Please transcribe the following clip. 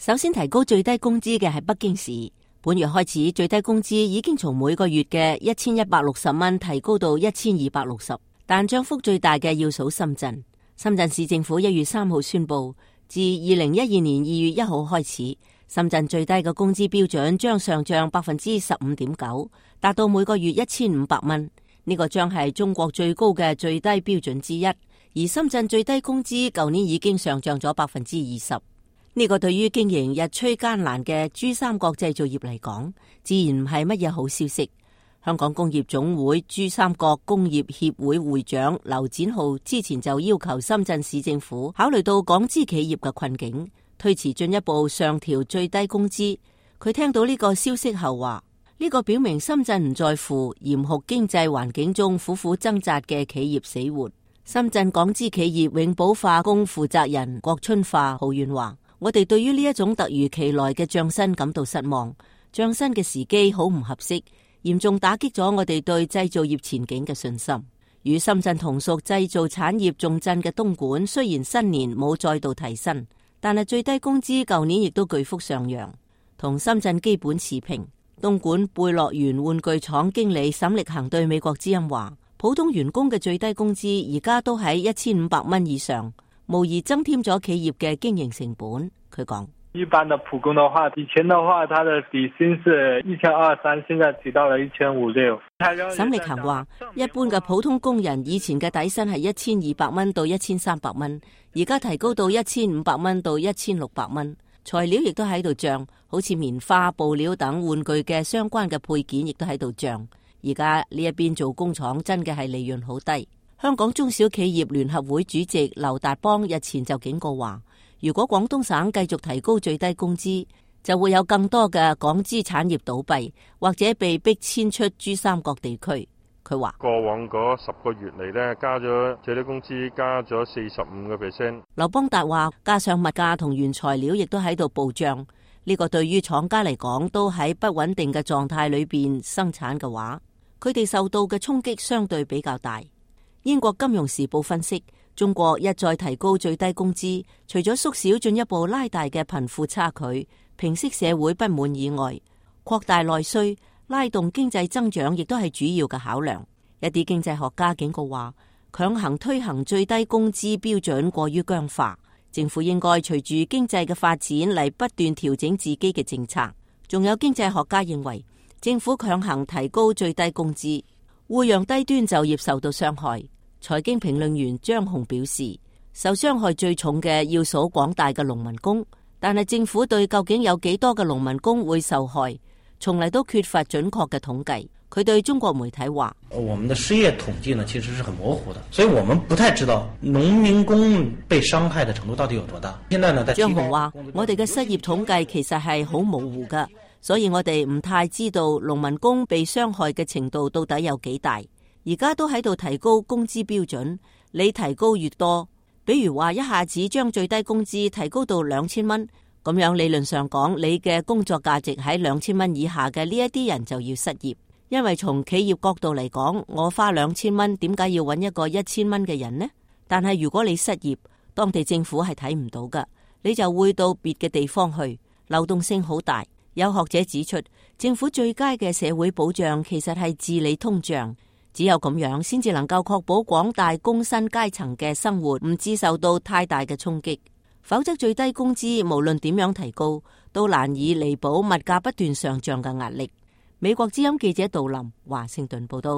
首先提高最低工資嘅係北京市，本月開始最低工資已經從每個月嘅1160蚊提高到1260，但漲幅最大嘅要數深圳。深圳市政府1月3號宣布，自2012年2月1號開始，深圳最低嘅工資標準將上漲 15.9%， 達到每個月1500蚊。呢個將係中國最高嘅最低標準之一。而深圳最低工資舊年已經上漲咗 20%。呢個對於經營日趨艱難嘅珠三角製造業嚟講，自然唔係乜嘢好消息。香港工業總會珠三角工業協會會長劉展浩之前就要求深圳市政府考慮到港資企業嘅困境，推遲進一步上調最低工資。佢聽到呢個消息後話，呢個表明深圳唔在乎嚴酷經濟環境中苦苦掙扎嘅企業死活。深圳港資企業永寶化工負責人郭春化抱怨話，我哋對於呢一種突如其來嘅漲薪感到失望，漲薪嘅時機好唔合適，嚴重打擊咗我哋對製造業前景嘅信心。與深圳同屬製造產業重鎮嘅東莞，雖然新年冇再度提薪，但係最低工資舊年亦都巨幅上揚，同深圳基本持平。東莞貝樂園玩具廠經理沈力恒對美國之音話，普通員工嘅最低工資而家都喺1500蚊以上，無疑增添咗企業嘅經營成本。佢講，一般的普工的話，以前的話，他的底薪是1230，現在提到了1560。沈力恒話，一般嘅普通工人以前嘅底薪係1200蚊到1300蚊，而家提高到1500蚊到1600蚊。材料亦都喺度漲，好似棉花、布料等玩具嘅相關嘅配件亦都喺度漲。而家呢一邊做工廠真嘅係利潤好低。香港中小企業聯合會主席劉達邦日前就警告話，如果廣東省繼續提高最低工資，就會有更多嘅港資產業倒閉，或者被逼遷出珠三角地區。佢話過往嗰10個月嚟呢，加咗最低工資加咗45%。劉邦達話，加上物價同原材料亦都喺度暴漲，呢個對於廠家嚟講都喺不穩定嘅狀態裏邊生產嘅話，佢哋受到嘅衝擊相對比較大。英國金融時報分析，中國一再提高最低工資，除咗縮小進一步拉大嘅貧富差距、平息社會不滿以外，擴大內需、拉動經濟增長亦都係主要嘅考量。一啲經濟學家警告話，強行推行最低工資標準過於僵化，政府應該隨住經濟嘅發展嚟不斷調整自己嘅政策。仲有經濟學家認為，政府強行提高最低工資，會讓低端就業受到傷害。財經評論員張紅表示，受傷害最重嘅要數廣大嘅農民工，但係政府對究竟有幾多嘅農民工會受害，從嚟都缺乏準確嘅統計。佢對中國媒體話，我們的失業統計呢，其實是很模糊的，所以我們不太知道農民工被傷害的程度到底有多大。現在呢，張紅話，我哋嘅失業統計其實係好模糊㗎，所以我哋唔太知道農民工被傷害嘅程度到底有幾大。而家都喺度提高工資標準，你提高越多，比如話一下子將最低工資提高到2000蚊，咁樣理論上講，你嘅工作價值喺2000蚊以下嘅呢一啲人就要失業。因為從企業角度嚟講，我花2000蚊，點解要揾一個1000蚊嘅人呢？但係如果你失業，當地政府係睇唔到噶，你就會到別嘅地方去，流動性好大。有學者指出，政府最佳嘅社會保障其實係治理通脹。只有咁樣，先至能夠確保廣大工薪階層嘅生活唔致受到太大嘅衝擊，否則最低工資無論點樣提高，都難以彌補物價不斷上漲嘅壓力。美國之音記者杜林華盛頓報道。